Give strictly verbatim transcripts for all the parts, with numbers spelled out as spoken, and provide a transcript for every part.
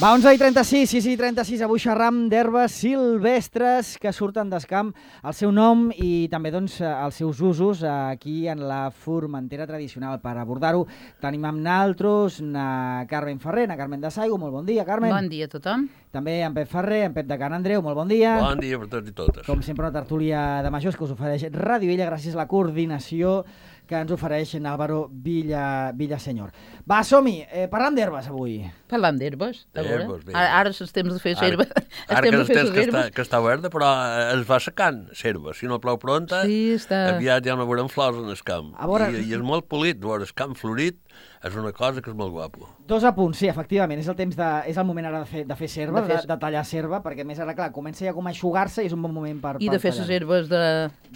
Va, onze i trenta-sis, sis i trenta-sis, avui xerram d'herbes silvestres que surten d'escamp, el seu nom i també doncs, els seus usos aquí en la Formentera tradicional. Per abordar-ho tenim amb naltros na Carmen Ferrer, na Carmen de Saigo. Molt bon dia, Carmen. Bon dia a tothom. També en Pep Ferrer, en Pep de Can Andreu. Molt bon dia. Bon dia per tots i totes. Com sempre, una tertúlia de majors que us ofereix Ràdio Illa gràcies a la coordinació que ens ofereix Álvaro Villa, Villasenyor. Va, som-hi, eh, parlant d'herbes avui. Parlant d'herbes, a veure. D'herbes, bé. Ara, ara és el temps de fer serva. Ara que és el temps que està, que està verda, però es va secant serva. Si no plou pronta, sí, està... aviat ja no veurem flors en el camp. Veure... I, I és molt polit, veure el camp florit és una cosa que és molt guapo. Dos apunts, sí, efectivament. És el temps de, és el moment ara de fer, de fer serva, de, fer... de, de tallar serva, perquè més ara, clar, comença ja com a eixugar-se i és un bon moment per, I per de fer les herbes de...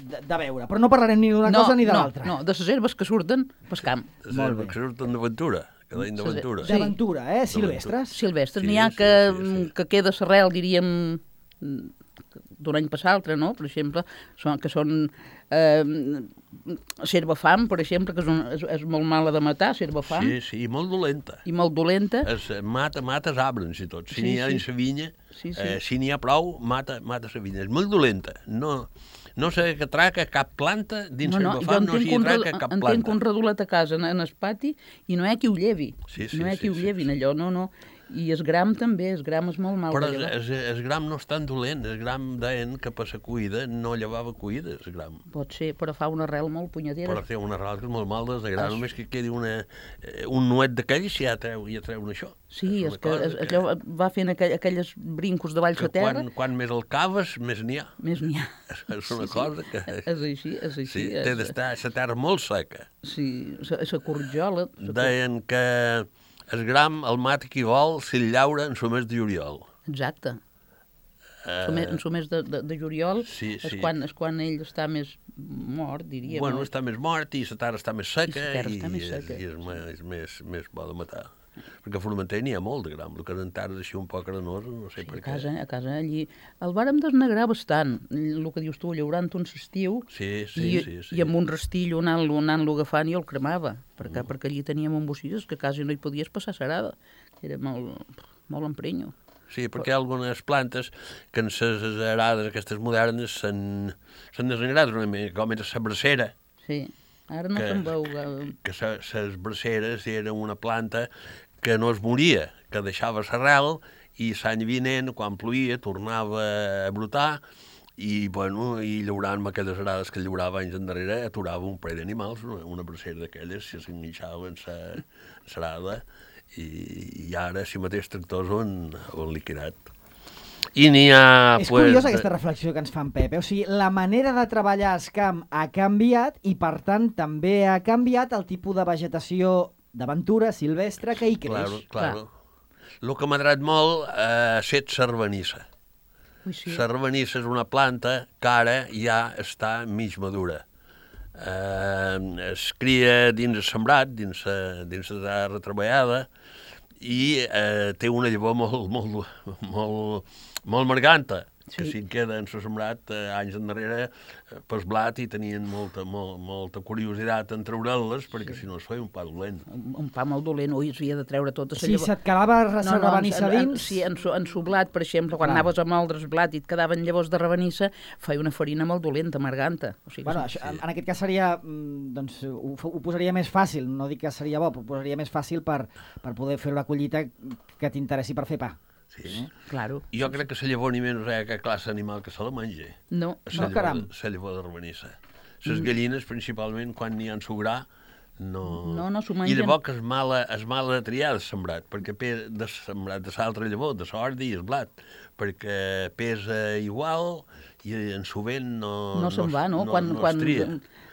de... De veure. Però no parlarem ni d'una no, cosa ni de no, l'altra. No, de les herbes que surten pel camp. Les herbes que surten d'aventura, que deien d'aventura. Sí. D'aventura, eh? Silvestres. Silvestres. Sí, N'hi ha sí, que, sí, sí. que queda l'arrel, diríem, d'un any per l'altre, no? Per exemple, són, que són eh, serva fam, per exemple, que és, un, és, és molt mala de matar, serva fam. Sí, sí, i molt dolenta. I molt dolenta. Es, mata, mata els arbres i tot. Si Sí, n'hi ha sí. en sa vinya, Sí, sí. eh, si n'hi ha prou, mata, mata la vinya. És molt dolenta. No, no sé que traca cap planta dins No, no, no, no, jo no s'hi entenc, traca un, cap entenc planta. un redulet a casa en, en el pati i no hi ha qui ho llevi. Sí, sí, no hi ha sí, qui ho sí, llevin, sí. allò, no, no. I el gram també, el gram és molt mal Però de el, llevar. el, el gram no és tan dolent. El gram deien que per la cuida no llevava cuida, el gram. Pot ser, però fa una arrel molt punyetera. Però té una arrel que és molt mal des de gram, Ah, només que quedi una, eh, un nuet d'aquells i ja treu, ja treuen això. Sí, és, una que, cosa és, allò va fent aquell, aquelles brincos de valls que a terra, quan, quan més el caves, més n'hi ha. més n'hi ha. És una cosa que... És així, és així. Sí, té és, d'estar la terra molt seca. sí, la corjola. Deien que el gram el mata qui vol si el llaura en el mes de juliol. Exacte. Eh, En el mes de, de, de juliol sí, és, sí. quan, és quan ell està més mort, diríem. Bueno, no? està més mort i la terra està més seca I la terra i, està més és- seca. i és, més, és més, més bo de matar. Perquè a Formentera n'hi ha molt de gram, el que en terres així un poc arenosa, no sé Sí, per a què. casa, a casa allí. El vàrem desnegrar bastant, el que dius tu, llaurant un estiu, Sí, sí, i, sí, sí. i amb un rastillo anant-lo anant agafant i el cremava, perquè, mm. perquè allí teníem embocilles que quasi no hi podies passar serada, que era molt, molt emprenyo. Sí, perquè hi ha algunes plantes que en les arades aquestes modernes s'han s'han desengrat una mica, com era la bracera, Sí, ara no Que- se'n veu... eh, que les braceres eren una planta que no es moria, que deixava l'arrel i l'any vinent, quan plovia, tornava a brotar i, bueno, i llaurant amb aquelles arades que llaurava anys endarrere, aturava un parell d'animals, una, una bracera d'aquelles, si s'enganxava en l'arada, i, i ara, si mateix tractors ho han, ho han liquidat. I n'hi ha... És curiosa aquesta reflexió que ens fa en Pep. Eh? O sigui, la manera de treballar al camp ha canviat i, per tant, també ha canviat el tipus de vegetació d'aventura silvestre que hi creix. Claro, claro. El que m'ha agradat molt eh, ha estat sarbanissa. Ui, sí. Sarbanissa és una planta que ara ja està mig madura. Eh, es cria dins el sembrat, dins la, dins la terra treballada, i eh, té una llavor molt, molt, molt, molt marganta, que Sí. si en queda en el sembrat eh, anys endarrere eh, pel blat i tenien molta, molt, molta curiositat en treure-les, perquè si no es feia un pa dolent. Un, un pa molt dolent, ui, s'havia de treure tota la Si se't quedava No, la no, rabanissa en, en, dins... sí, en, su- en sublat, per exemple, quan Clar. anaves a moldre el blat i et quedaven llavors de rabanissa, feia una farina molt dolenta, amarganta. O sigui, Bueno, sí. això, en, en aquest cas seria, mm, doncs, ho, ho posaria més fàcil, no dic que seria bo, però ho posaria més fàcil per, per poder fer una collita que t'interessi per fer pa. Sí. Claro. Jo crec que la llavor ni menys hi ha cap classe d'animal que se la mengi. No, La No, llavor, caram. la llavor de rabanissa. Les gallines, principalment, quan n'hi ha en sugrà, no... No, no s'ho I mengen. llavors que és mala, és mala de triar el sembrat, perquè pe- de sembrat de l'altra llavor, de l'ordi i el blat, perquè pesa igual i en su vent no... no se'n va, no? no, quan no quan es tria.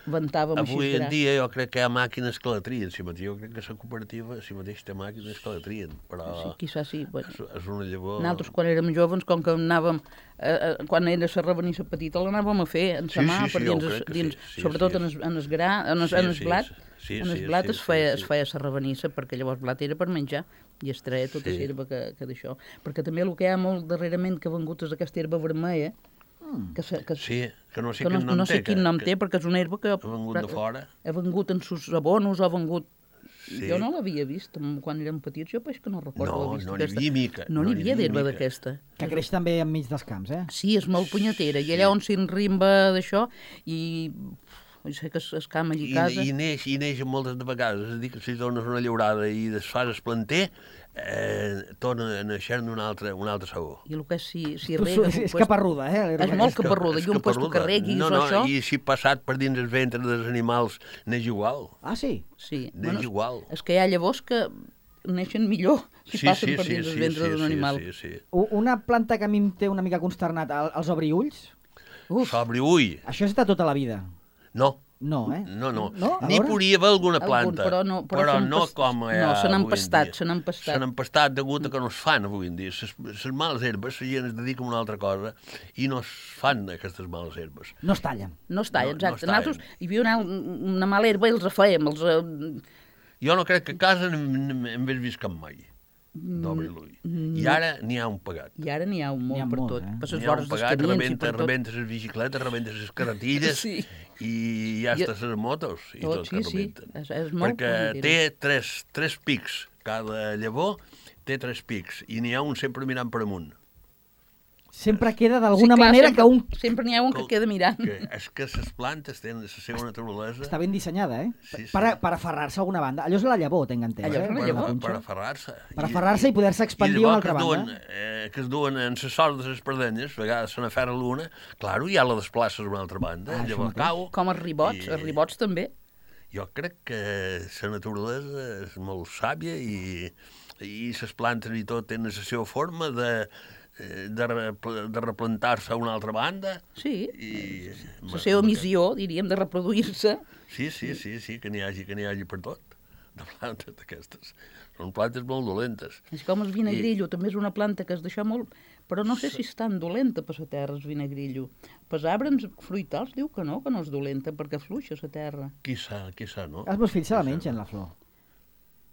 ventàvem Avui així en gra. dia jo crec que hi ha màquines que la trien, si mateix. Jo crec que la cooperativa si mateix té màquines que la trien, però Sí, quizás sí. Bueno. és, és una llavor... Nosaltres, quan érem joves, com que anàvem, eh, eh, quan era la rabanissa petita, l'anàvem a fer en sa Sí, mà, sí, per sí, jo dins, crec que dins, sí. Sí, sobretot sí, en, és- es, en es gra, en es, Sí, en es sí, blat, sí, en es sí, blat sí, es feia, sí, es sí. feia la rabanissa, perquè llavors blat era per menjar, i es treia tota Sí. l'herba que, que d'això. Perquè també el que hi ha molt darrerament que ha vengut és aquesta herba vermella, que, se, que, Sí, que no sé que no, quin nom no sé té. quin que- nom que té, perquè és una herba que ha vengut de fora. ha vengut en sus abonos, ha vengut Sí. Jo no l'havia vist quan érem petits, jo peix que no recordo No, haver vist no n'hi aquesta. havia mica, No no n'hi n'hi havia havia d'herba mica. d'aquesta. Que creix també enmig dels camps, eh? Sí, és molt punyetera. I allà on s'enrimba d'això i... Jo sé que es, es cama allí I, a casa. i, neix, I neix moltes de vegades. És a dir, que si dones una llaurada i desfas el planter, eh, torna a néixer un altre, un altre sabor. I el que és, si, si Però rega... és, és caparruda, eh? l'herba És molt aquesta. caparruda. És I un puesto que caparruda. regui no, no, això... I si passat per dins el ventre dels animals, neix igual. Ah, sí? Sí. Neix igual. És que hi ha llavors que neixen millor si Sí, passen sí, per sí, dins sí, el ventre sí, d'un sí, animal. sí, sí. U- Una planta que a mi em té una mica consternat, el- els obriulls, Uf, Sobre ull, això és de tota la vida. no. No, eh? No, no. No? A N'hi veure? podria haver alguna Algun, planta, però no- però però s'han no pas- com hi ha no, se n'han avui en pastat, dia. se n'han pastat. Se n'han pastat degut a que no es fan avui en dia. Les males herbes, la gent es dedica a una altra cosa i no es fan aquestes males herbes. No es tallen. no està, no- no exacte. està Nosaltres hi havia una, una mala herba i els refèiem. Els, eh, Jo no crec que a casa en hagués vist cap mai d'obri l'ull. I ara n'hi ha un pagat. I ara n'hi ha un N'hi ha molt per molt, tot. eh? Per N'hi les ha un vores dels pagat, camins i rebenta, per tot. rebenta les bicicletes, rebenta les carretilles Sí. i ja I- està les motos i Tot, tot, sí, que sí. rebenten. És- és molt Perquè mentida. té tres, tres pics. Cada llavor té tres pics i n'hi ha un sempre mirant per amunt. Sempre queda d'alguna Sí, clar, manera sempre, que un... Sempre n'hi ha un que queda mirant. Que és que les plantes tenen la seva naturalesa. Està ben dissenyada, eh? Sí, sí. Per, a- per aferrar-se a alguna banda. Allò és la llavor, tinc entès, Allò és eh? la per, llavor. La per, punxa. per aferrar-se. Per aferrar-se i poder-se expandir I a una llavors altra que es duen, banda. eh, que es duen en les sordes de les perdenyes, a vegades se n'aferra l'una, claro, ja la desplaces a una altra banda, Ah, això llavors mateix. cau. Com els ribots, I- els ribots també. Jo crec que la naturalesa és molt sàvia i, i les plantes i tot tenen la seva forma de, eh, de, repl- de replantar-se a una altra banda. Sí, I, la seva missió, diríem, de reproduir-se. Sí, sí, sí, sí, que n'hi hagi, que n'hi hagi per tot, de plantes d'aquestes. Són plantes molt dolentes. És com el vinagrillo, també és una planta que es deixa molt... Però no sé si és tan dolenta per la terra, el vinagrillo. Per arbres fruitals diu que no, que no és dolenta, perquè fluixa la terra. Qui sa, qui sa, no? Els meus fills se la mengen, la flor.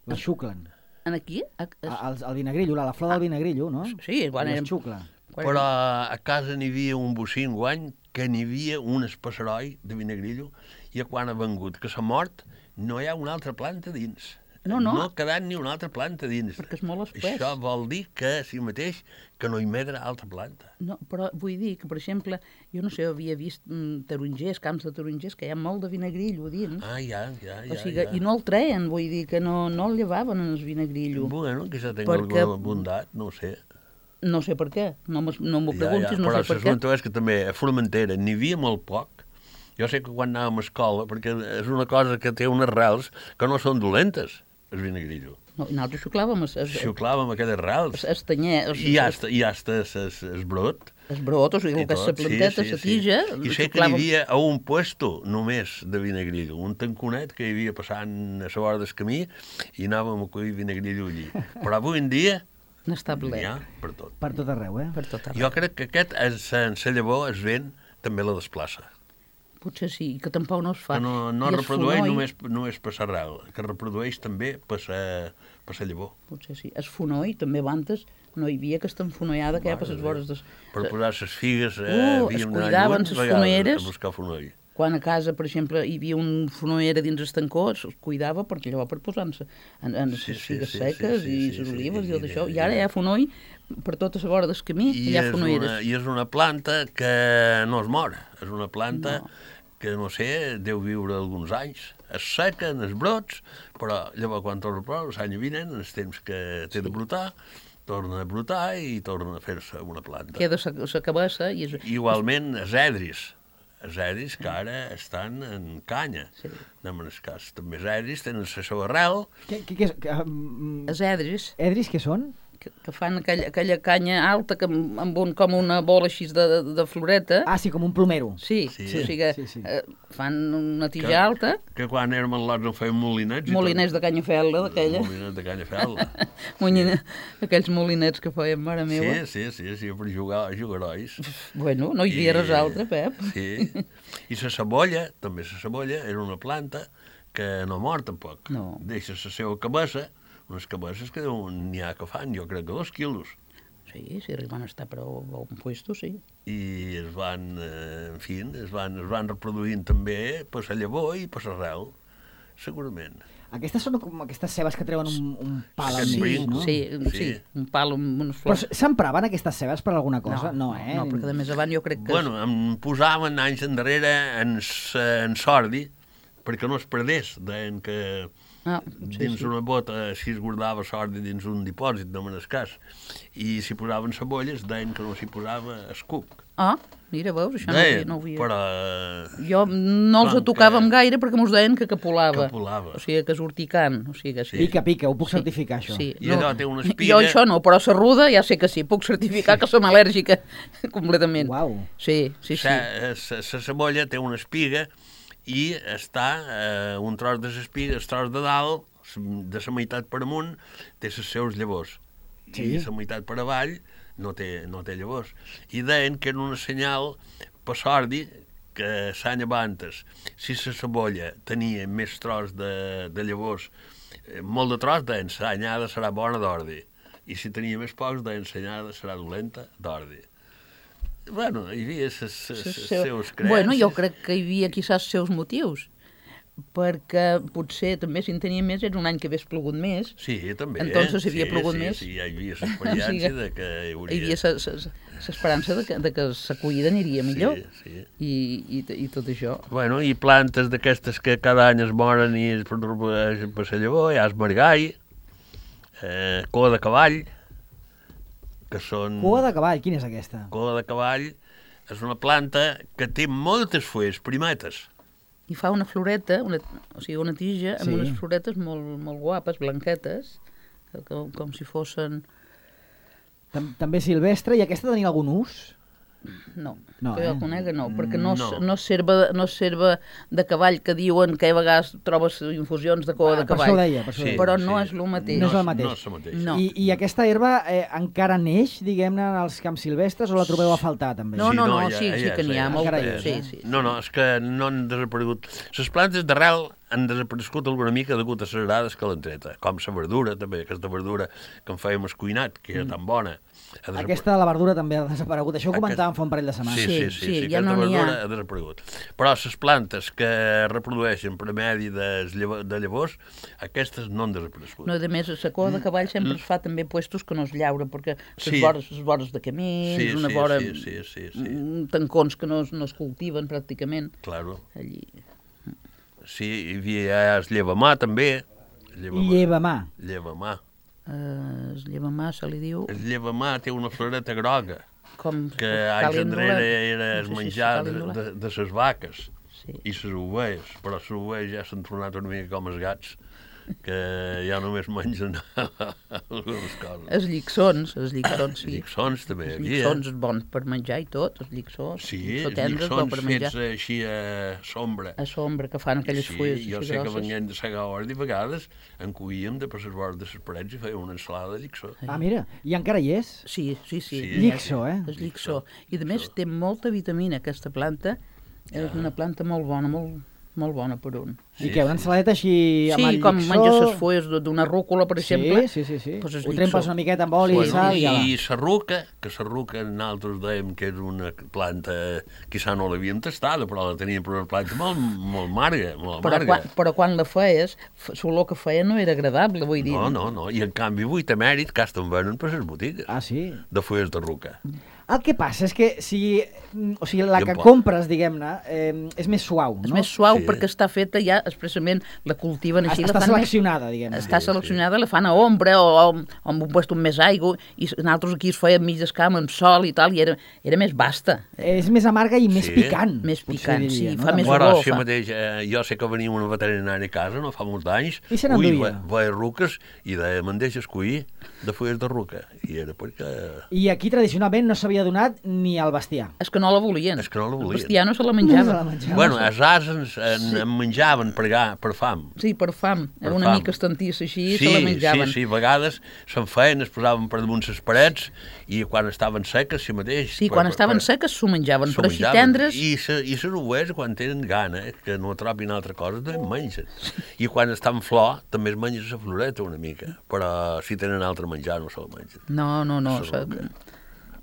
La xuclen. En aquí? A, a, A- El, el vinagrillo, la, la flor del vinagrillo, no? sí, quan I es érem... xucla. quan Però a casa n'hi havia un bocí guany que n'hi havia un espasseroi de vinagrillo i quan ha vengut que s'ha mort no hi ha una altra planta dins. No, no. No ha quedat ni una altra planta dins. Perquè és molt espès. Això vol dir que, si mateix, que no hi medra altra planta. No, però vull dir que, per exemple, jo no sé, havia vist mm, tarongers, camps de tarongers, que hi ha molt de vinagrillo dins. Ah, ja, ja, ja. o sigui, ja. I no el treien, vull dir, que no, no el llevaven en el vinagrillo. Bueno, que això tingui Perquè- alguna bondat, no ho sé. No sé per què, no m'ho no m'ho Ja, preguntis, ja. no Però sé per què. l'assumpte és que també a Formentera n'hi havia molt poc. Jo sé que quan anàvem a escola, perquè és una cosa que té unes rels que no són dolentes, el vinagrillo. No, i nosaltres xuclàvem es, es, Xuclàvem aquelles rels. es, es tanyer, es, I ja està, i ja està es, es, es brot. es brot, o sigui, i el que és la tot, planteta, la tija, I sé que n'hi havia a un puesto només de vinagrillo, un tanconet que hi havia passant a la vora del camí i anàvem a collir vinagrillo allí. Però avui en dia n'està n'hi ple, ha per tot. Per tot arreu, eh? per tot arreu. Jo crec que aquest, és- en la llavor, es ven, també la desplaça. Potser sí, que tampoc no es fa. Que no, no I el reprodueix fonoll, només, només per l'arrel, que reprodueix també per la, per la llavor. Potser sí. El fonoll, també abans no hi havia aquesta enfonollada que hi ha per les vores des... Per posar les figues, eh, Uh, es havíem d'anar cuidaven lluny ses vegades fonoeres. a buscar fonoll. Quan a casa, per exemple, hi havia un fonoera dins el tancó, es es cuidava perquè llavors per posar-se en, en les Sí, sí, figues sí, seques sí, sí, i sí, les sí, olives i tot i- això. i- I ara hi ha fonoll per tota la vora del camí, I hi ha és, una, fonoeres. I és una planta que no es mor. És una planta No. que, no sé, deu viure alguns anys. Es seca en els brots, però llavors quan torna a ploure, l'any vinent, en els temps que té de brotar, torna a brotar i torna a fer-se una planta. Queda la cabassa i és... Igualment, els edris. Els edris que ara estan en canya. Sí. Anem en el cas. També els edris tenen la seva arrel. Què, què, què és? Que, um, Els edris, edris què són? que, que fan aquella, aquella canya alta que amb, amb un, com una bola així de, de, de floreta. Ah, sí, com un plomero. Sí, Sí. sí, o sigui, Sí, sí. eh, fan una tija Que- alta, Que quan érem en lots no feien molinets. i molinets de tot. canyafel·la, d'aquella. Molinets de canyafel·la. Molina, aquells molinets que feien, mare meva. Sí, sí, sí, sí, per jugar, jugar herois. Bueno, no hi havia res altre, Pep. Sí. I la cebolla, també la cebolla, era una planta que no mor tampoc. No. Deixa la seva cabassa, unes cabasses que n'hi ha que fan, jo crec que dos quilos. Sí, si arriben a estar prou a un puesto, sí. I es van, eh, en fi, es van, es van reproduint també per la llavor i per l'arrel, segurament. Aquestes són com aquestes cebes que treuen un, un pal al Aquest mig, brinc. no? Sí, sí, Sí. un pal amb unes Però flors. s'empraven aquestes cebes per alguna cosa? No, eh? No, perquè de més avant jo crec que... Bueno, em posaven anys endarrere en, s- en sordi perquè no es perdés. Deien que Ah, sí, dins sí. una bota si es guardava sordi dins un dipòsit, no me n'escàs. I si posaven cebolles, deien que no s'hi posava escuc. Ah, mira, veus, això no ho havia... Deien, No ho havia... però... Jo no els Com tocàvem que- gaire perquè mos deien que capolava. Capolava. O sigui, que és urticant. O sigui, que sí. Pica, pica, ho puc certificar, això. Sí. I allò té una espiga. Jo això no, però serruda ja sé que sí. Puc certificar que som al·lèrgica completament. Uau. Sí, sí, sí. La cebolla té una espiga i està eh, un tros de l'espiga, el tros de dalt, de la meitat per amunt, té les seus llavors. Sí. I la meitat per avall no té, no té llavors. I deien que era una senyal per sordi que s'any abantes, si la cebolla tenia més tros de, de llavors, eh, molt de tros, deien l'anyada serà bona d'ordi. I si tenia més pocs, deien l'anyada serà dolenta d'ordi. Bueno, hi havia les Seu- seus creences. Bueno, jo crec que hi havia quizás seus motius, perquè potser també si en tenia més era un any que hagués plogut més. Sí, també. Entonces hi havia sí, plogut sí, més. Sí, hi havia l'experiència de que hi hauria... Hi havia l'esperança de, que, de que l'acollida aniria millor. Sí, sí. I, i, i tot això. Bueno, i plantes d'aquestes que cada any es moren i es reprodueixen per la llavor, hi ha el margall, eh, cua de cavall, que són... Cua de cavall, quina és aquesta? Cua de cavall és una planta que té moltes fulles primetes. I fa una floreta, una, o sigui, una tija amb Sí. unes floretes molt, molt guapes, blanquetes, que, com, com si fossin... Tam També silvestre, i aquesta tenia algun ús? No, No, que eh? jo conega no, perquè no, No. no. no serva, no serva de cavall, que diuen que a vegades trobes infusions de cua Ah, de per cavall. això ho deia, per això ho Sí, deia. Però sí. no és el mateix. No és el mateix. No és el mateix. No. I, I aquesta herba eh, encara neix, diguem-ne, en els camps silvestres, o la trobeu a faltar, també? No, no, no, ja- sí, sí ja que n'hi ha sé, molt. encara hi és, Sí, eh? sí. No, no, és que no han desaparegut. Les plantes d'arrel han desaparegut alguna mica degut a les erades que l'han treta, com la verdura, també, aquesta verdura que en fèiem escuinat, que era tan bona. Ha desapa- Aquesta, la verdura, també ha desaparegut. Això ho Aquest- comentàvem fa un parell de setmanes. Sí, sí, Sí, sí, sí, sí, ja aquesta no n'hi ha. verdura ha desaparegut. Però les plantes que reprodueixen per medi de, de llavors, aquestes no han desaparegut. No, a més, la cua de cavall sempre es fa també puestos que no es llaura, perquè les Sí. vores, les vores de camins, Sí, una sí, vora... sí, sí, sí, sí. mm, tancons que no, es- no es cultiven pràcticament. Claro. Allí. Sí, hi havia el llevamà, també. Llevamà. Llevamà. Llevamà. Uh, es llevamà, se li diu... El llevamà té una floreta groga, Com, que anys calendula. enrere era No el sé si és menjar de, calendula. de, de les vaques Sí. i les ovelles, però les ovelles ja s'han tornat una mica com els gats, que ja només mengen algunes coses. Els lliçons, els lliçons, sí. Lliçons també hi Els havia. lliçons és bon per menjar i tot, els lliçons. Sí, els els tendres, bo lliçons per menjar. fets així a sombra. A sombra, que fan aquelles Sí, fulles jo així sé que grosses. venien de segar ordi, a vegades en cuíem de per les vores de les parets i fèiem una ensalada de lliçó. Ah, mira, i encara hi és? Sí, sí, sí. Sí. Llixó, eh? És llixó. I a més té molta vitamina aquesta planta. És una planta molt bona, molt, molt bona per un. I què, una ensaladeta així amb Sí, el com llixó? menges les fulles d'una rúcula, per exemple. Sí, sí, sí. sí. Doncs és Ho llixó. trempes una miqueta amb oli i Bueno, sal i ja va. I la ruca, que la ruca nosaltres dèiem que és una planta, quizà no l'havíem tastada, però la teníem per una planta molt, molt amarga, molt Però amarga. quan, però quan la feies, f- l'olor que feia no era agradable, vull dir. No, no, no, i en canvi avui té mèrit que estan venent per les botigues Ah, sí? de fulles de ruca. El que passa és que si, o sigui, la I en que pot. compres, diguem-ne, eh, és més suau, És no? més suau Sí. perquè està feta ja expressament, la cultiven així. Està la fan més- seleccionada, diguem-ne. Està Sí, seleccionada, la fan a ombra o, o amb un puesto amb més aigua, i nosaltres aquí es feia mig d'escam amb sol i tal, i era, era més basta, És més amarga i més Sí. picant. Més potser picant, diria, sí, no? fa També. més Bueno, olor, si fa. mateix, eh, jo sé que venia una veterinària a casa no fa molts anys, I se ui, n'enduia. ve- veia ruques i deia, me'n deixes cuir de fulles de ruca. I era perquè... I aquí tradicionalment no s'havia donat ni al bestiar. És que no la volien. És que no la volien. El bestiar no se la No menjava. se la menjava. Bueno, els ases en, en menjaven per, ga, per fam. Sí, per fam. Per una fam. mica estantissa així, Sí, se la menjaven. sí, sí, a vegades se'n feien, es posaven per damunt les parets i quan estaven seques, si mateix... Sí, per- quan per- estaven per- seques s'ho menjaven, s'ho però així menjaven. tendres... I, se, i les ovelles, quan tenen gana, eh, que no trobin altra cosa, també en mengen. I quan estan en flor, també es mengen la floreta una mica, però si tenen altre menjar no se la mengen. No, no, no. Se se- ruca.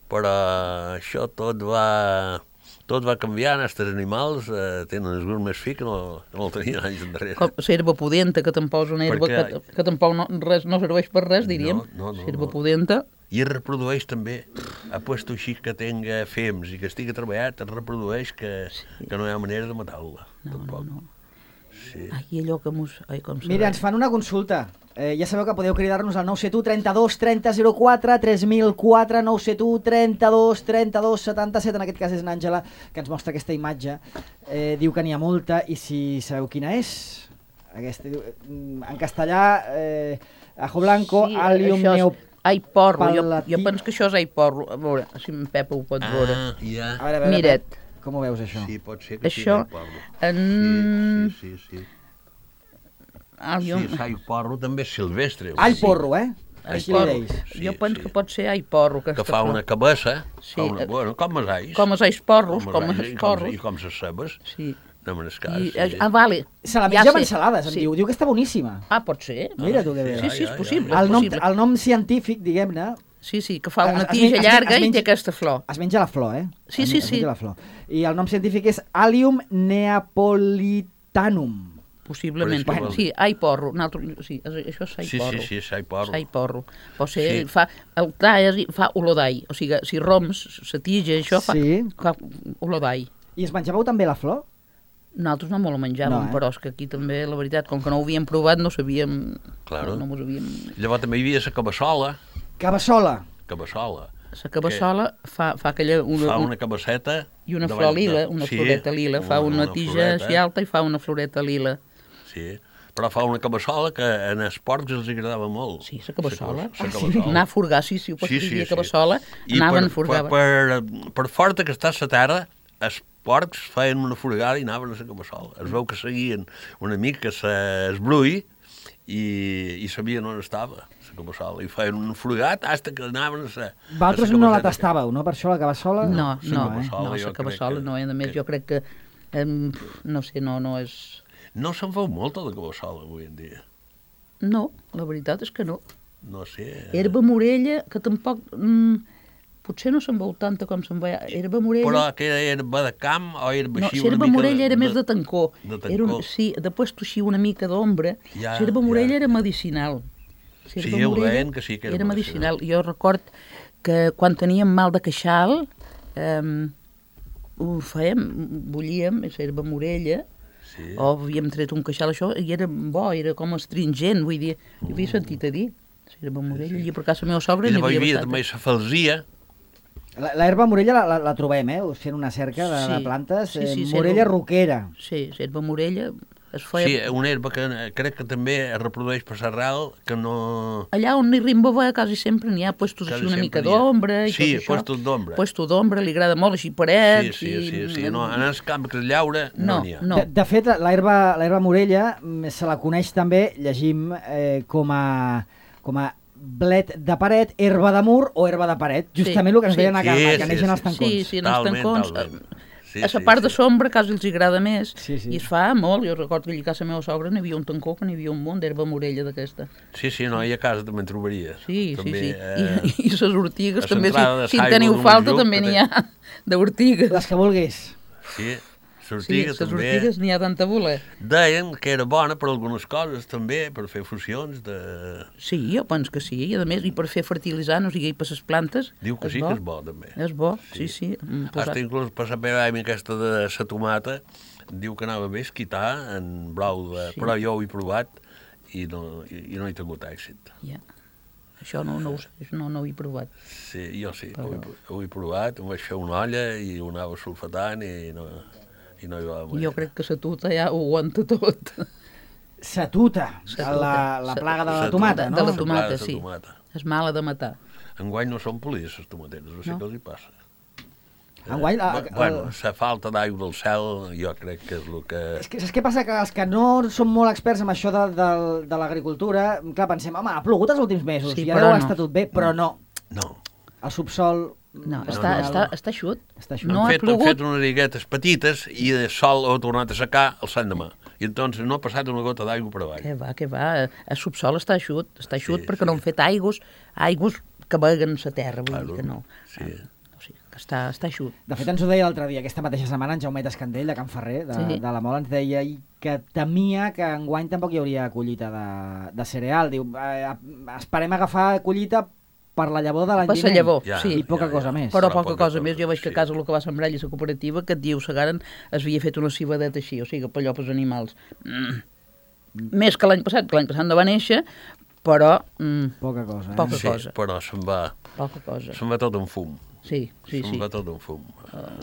Però això tot va tot va canviant, els animals eh, tenen el gust més fi que no, no el tenien anys enrere. Com l'herba pudenta, que tampoc és una herba Perquè... que, que tampoc no, res, no serveix per res, diríem. No, no, no, L'herba no. pudenta. I es reprodueix també. Ha puesto així que tenga fems i que estigui treballat, es reprodueix que, sí. que no hi ha manera de matar-la. No, tampoc. no, no. Sí. Ai, allò que mos... Ai, com Mira, ens fan una consulta. Eh, ja sabeu que podeu cridar-nos al nou set u trenta-dos trenta zero quatre, tres mil quatre, nou set u trenta-dos trenta-dos setanta-set, en aquest cas és n'Àngela, que ens mostra aquesta imatge. Eh, diu que n'hi ha molta, i si sabeu quina és? Aquesta, diu, en castellà, eh, ajo blanco, sí, alium neo... Ai, porro, jo, palatí- jo penso que això és ai, porro. A veure, si en Pepa ho pot veure. Ah, ja. A veure, a veure, Mira't. Com ho veus, això? Sí, pot ser que Això, sigui porro. en- Sí, sí, sí. sí. Ah, jo... Sí, sai porro també és silvestre. All Sí. porro, eh? ai, Així porro. li deis. Sí, jo penso sí. que pot ser ai, porro. Que aquesta fa flor. una cabeça, Sí, fa una, eh, bueno, com els ais. Com els ais porros, com ais, els i porros. I com les cebes. Sí. No me n'escàs. I, Sí. ah, vale. Se la Ja menja amb sé. ensalades, em Sí. diu. Diu que està boníssima. Ah, pot ser. Mira tu que bé. Sí, sí, és Ja, ja, possible. ja. és El nom, possible. el nom científic, diguem-ne, Sí, sí, que fa Es- una es tija men- es men- llarga es i té menja- aquesta flor. es menja la flor, eh? Sí, Es sí, men- es sí. menja la flor. I el nom científic és Allium neapolitanum. Possiblement. Però és que Bueno, vol- sí, ai, porro. Nosaltres, sí, això és ai, Sí, porro. sí, sí, sai porro. Ai, porro. Pot ser, Sí. fa, el talles i fa olor d'ai. O sigui, si roms, la tija, això fa, Sí. fa olor d'ai. I es menjàveu també la flor? Nosaltres no me la menjàvem, No, eh? però és que aquí també, la veritat, com que no ho havíem provat, no sabíem... Claro. No, no mos havíem... Llavors també hi havia la cabassola. Cabassola. Cabassola. La cabassola fa, fa aquella... Una, Fa un- una cabasseta... I una davant flor de- lila, una sí, floreta lila. Fa una, tija floreta, així alta i fa una floreta lila. Sí, però fa una cabassola que en els porcs els agradava molt. Sí, la cabassola. La Ah, sí. cabassola. Anar a furgar, sí, sí, ho pots Sí, dir, sí, sí. cabassola, I anaven per, a furgar. Per, per, per forta que està la terra, els porcs feien una furgada i anaven a la cabassola. Es veu que seguien una mica es brull i, i sabien on estava la cabassola. I feien un furgat fins que anaven a la... Vosaltres a la no la cabaseta. tastàveu, no? Per això la cabassola... No, la no, cabassola, no, jo la crec cabassola que- no, i a més que- jo crec que, em, no sé, no, no és... No se'n veu molta de cabassola avui en dia. No, la veritat és que no. No sé. Herba morella, que tampoc... Mm, potser no se'n veu tanta com se'n veia. Herba morella... Però que era herba de camp o herba No, així l'herba una mica... morella era més de tancó. de Era un, tancó. sí, després així una mica d'ombra. Ja, L'herba morella ja. era medicinal. Sí, L'herba ho morella deien que sí que era era medicinal. Jo record que quan teníem mal de queixal, eh, ho fèiem, bullíem, l'herba morella, Sí. o havíem tret un queixal, això, i era bo, era com astringent, vull dir, ho havia sentit a dir. L'herba morella, i per casa la meva sogra I n'hi llavors hi havia havia bastant. també la falsia, La, la herba morella la, la, la trobem, eh? Fent una cerca de, de Sí. plantes. Sí, sí, eh, sí, morella herba- roquera. Sí, l'herba morella es feia... sí, una herba que eh, crec que també es reprodueix per l'arrel, que no... Allà on n'hi rimba quasi sempre n'hi ha puestos Quasi així una mica sempre n'hi ha. d'ombra i Sí, tot això. puestos d'ombra. Puestos d'ombra, li agrada molt, així Sí, parets... sí, sí, i... sí. No, en el camp que es llaura no No, n'hi ha. no. De, de fet, l'herba l'herba morella mm, se la coneix també, llegim, eh, com a com a blet de paret, herba de mur o herba de paret. Justament el que ens sí. deien a Carme, Sí, que sí, neixen sí. els tancons. Sí, sí, en els Talment, tancons. talment. Sí, a la sí, part de sí. sombra quasi els agrada més. Sí, sí. I es fa molt. Jo recordo que allà a casa meva sogra n'hi havia un tancó, que n'hi havia un munt d'herba morella d'aquesta. Sí, sí, no, i a casa també en trobaries. Sí, també, sí, sí. Eh, I, i les ortigues a també, l'entrada de si, si en Saigo teniu d'un falta, lloc també que n'hi té- ha d'ortigues. Les que vulguis. sí, Sí, sortiga les també. ortigues n'hi ha tanta voler. Deien que era bona per algunes coses també, per fer fusions de... Sí, jo penso que sí. I a més, i per fer fertilitzant, o sigui, per les plantes... Diu que sí bo. que és bo, també. És bo, sí, sí. mm, posat- Hasta inclús per la epidèmia aquesta de la tomata, diu que anava bé esquitar en blau de... Sí. Però jo ho he provat i no, i, i no he tingut èxit. Ja. Això no, no, ho sé, això no, no ho he provat. Sí, jo sí, Però- ho, he, ho he provat, em vaig fer una olla i ho anava sulfatant i no, i no hi va I jo crec que la tuta ja ho aguanta tot. Satuta, Satuta. la, la plaga de la Satuta. tomata, De no? la plaga tomata, de sí. tomata. És mala de matar. Enguany no són polides, les tomateres, no sé No. què els hi passa. Enguany, la- Bu- bueno, la falta d'aigua del cel jo crec que és el que... És que saps què passa? Que els que no són molt experts en això de, de, de l'agricultura, clar, pensem, home, ha plogut els últims mesos, Sí, i però ara no. està tot bé, però no. No. El subsol... No, mm, està, no. està, està eixut. Està eixut. No han, ha fet, han plogut. fet unes riguetes petites i el sol ho ha tornat a secar el sant demà. I entonces no ha passat una gota d'aigua per avall. Que va, que va. El subsol està eixut. Està eixut Sí, perquè sí. no han fet aigües, aigües que veguen la terra, vull Claro, dir que no. sí. O sigui, que està, està eixut. De fet, ens ho deia l'altre dia, aquesta mateixa setmana, en Jaumet Escandell, de Can Ferrer, de, Sí. de la Mola, ens deia que temia que enguany tampoc hi hauria collita de, de cereal. Diu, eh, esperem agafar collita per la llavor de l'any Per la llavor, Ja, sí. I poca ja, cosa ja. més. Però Però poca poca cosa cosa, més. Jo veig que a sí. casa el que va sembrar allà la cooperativa, que et diu Segaren es havia fet una cibadeta així, o sigui, per allò pels animals. Mm. Més que l'any passat, que l'any passat no va néixer, però mm, Poca cosa, eh? Poca Sí, cosa. però se'n va, poca cosa. se'n va tot en fum. Sí, sí, se'n sí. va tot en fum,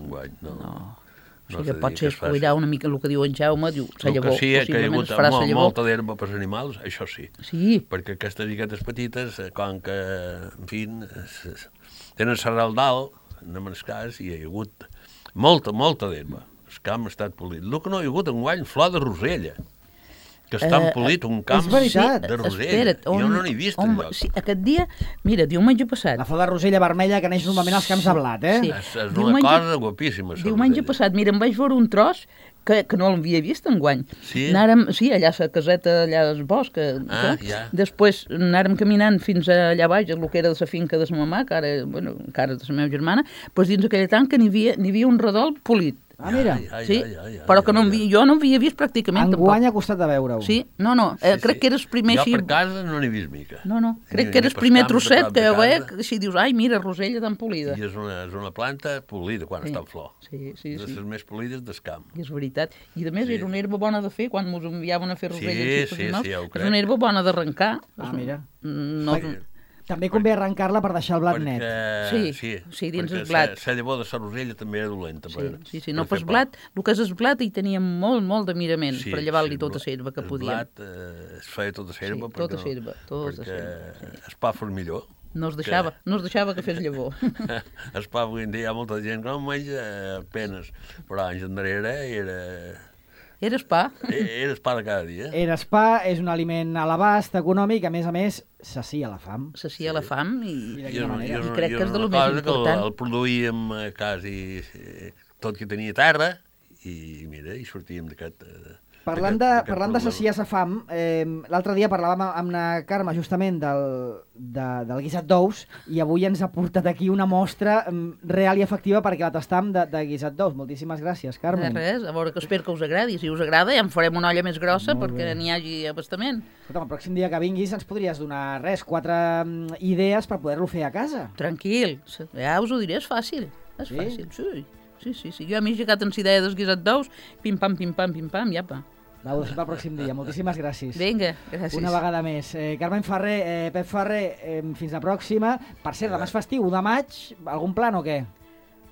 enguany. No, No. no O sigui, s'ha que de pot dir ser que es faci. escuidar una mica el que diu en Jaume, diu, sa El que llavor, sí és que hi ha possiblement hagut es farà sa molt, llavor. molta d'herba pels animals, això sí. Sí, Perquè aquestes iguetes petites, eh, com que, en fi, es- es- tenen serral dalt, anem en el cas, i hi ha hagut molta, molta d'herba. El camp ha estat polit. El que no hi ha hagut enguany, flor de rosella, que està Eh, empolit un camp és veritat. de rosella. espera't, Jo no n'he vist on, enlloc. sí, aquest dia, mira, diumenge passat, La flor de rosella vermella que neix normalment als camps de blat, eh? Sí. És, és una Diumenge- cosa guapíssima. la diumenge rosella. passat, mira, em vaig veure un tros que, que no l'havia vist enguany. Sí? Anàrem, sí, allà a la caseta, allà al bosc. Que, Ah, que, ja. Després anàrem caminant fins allà baix, el que era de la finca de sa mamà, que ara, bueno, encara de la meva germana, doncs dins aquella tanca n'hi havia, n'hi havia un redol polit. Ah, mira. Ja, ja, Sí, ja, ja, ja, però que no ja, havia, jo no havia vist pràcticament Enguany tampoc. ha costat de veure-ho. Sí, no, no, eh, Sí, crec sí. que era el primer Jo així... per casa no n'he vist mica. No, no, crec Ni- que era ni el pels primer camps de trosset prop de que jo veia, casa. que si dius, ai, mira, rosella tan polida. I és una, és una planta polida quan Sí. està en flor. Sí, sí, de sí. les més polides del camp. I és veritat. I a més Sí. era una herba bona de fer, quan ens enviaven a fer Sí, roselles. sí, sí, ja ho És crec. una herba bona d'arrencar. Ah, És- mira. No, Perquè- També convé arrencar-la per deixar el blat net. Perquè, Sí, sí, sí, dins perquè el blat. La llavor de la rosella també era dolenta. sí, per, sí, sí, no, per pas fer pa. blat, el que és el blat hi tenia molt, molt de mirament Sí, per llevar-li sí, tota el la herba que el podíem. blat eh, es feia tota la herba Sí, tota perquè, herba, tota perquè herba, sí. el pa fos millor. No es deixava, no es deixava que fes llavor. El pa avui en dia hi ha molta gent que no en menja apenes, però anys endarrere era, Era pa. era el pa de cada dia. Eres pa, és un aliment a l'abast econòmic, a més a més, sacia la fam. S'acia la fam i... I de I, quina manera? I crec que és de lo una més cosa que el, important. el produïem eh, quasi eh, tot que tenia terra i mira, i sortíem d'aquest... eh, Parlant de, d'aquest- d'aquest parlant de problema. saciar sa fam, eh, l'altre dia parlàvem amb la Carme justament del, de, del guisat d'ous i avui ens ha portat aquí una mostra mm, real i efectiva perquè la tastam de, de guisat d'ous. Moltíssimes gràcies, De Carmen. res, a veure, que espero que us agradi. Si us agrada ja en farem una olla més grossa Molt perquè bé. n'hi hagi abastament. Escolta, el pròxim dia que vinguis ens podries donar res, quatre mm, idees per poder-lo fer a casa. Tranquil, ja us ho diré, és fàcil. És Sí? fàcil, sí. Sí, sí, sí. Jo a mi he llegat en idea del guisat d'ous, pim-pam, pim-pam, pim-pam, i apa. Va, ho deixem pel pròxim dia. Moltíssimes gràcies. Vinga, gràcies. Una vegada més. Eh, Carmen Ferrer, eh, Pep Ferrer, eh, fins la pròxima. Per cert, demà és festiu, u de maig, algun plan o què?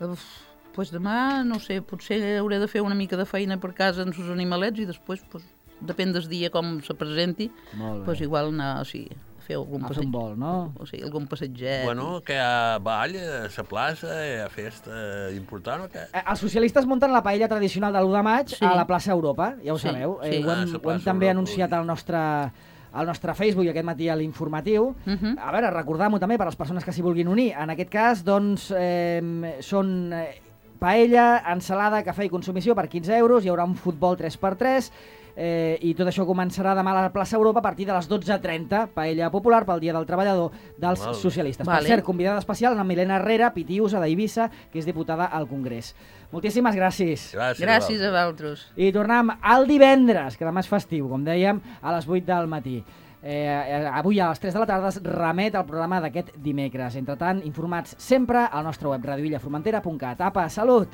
Uf, pues demà, no sé, potser hauré de fer una mica de feina per casa amb els animalets i després, pues, depèn del dia com se presenti, Molt bé. pues igual anar, o sigui, a fer algun A fer passeig. un vol, no? O sigui, algun passatget. Bueno, que hi ha ball a la plaça, hi ha festa important o què? Eh, Els socialistes munten la paella tradicional de l'u de maig Sí. a la plaça Europa, ja ho Sí, sabeu. sí. Eh, ho Ah, hem, la ho hem plaça també Europa, anunciat ui. al nostre, al nostre Facebook i aquest matí a l'informatiu. Mhm. A veure, recordar-m'ho també per a les persones que s'hi vulguin unir. En aquest cas, doncs, eh, són eh, paella, ensalada, cafè i consumició per quinze euros, hi haurà un futbol tres per tres, eh, i tot això començarà demà a la plaça Europa a partir de les dotze trenta, paella popular pel Dia del Treballador dels Molt bé. socialistes. Vale. Per cert, convidada especial la Milena Herrera, Pitiusa d'Eivissa, que és diputada al Congrés. Moltíssimes gràcies. Gràcies. Gràcies a vosaltres. vosaltres. I tornem al divendres, que demà és festiu, com dèiem, a les vuit del matí. Eh, eh, avui a les tres de la tarda es remet el programa d'aquest dimecres. Entre tant, informats sempre al nostre web radioillaformentera punt cat. Apa, salut!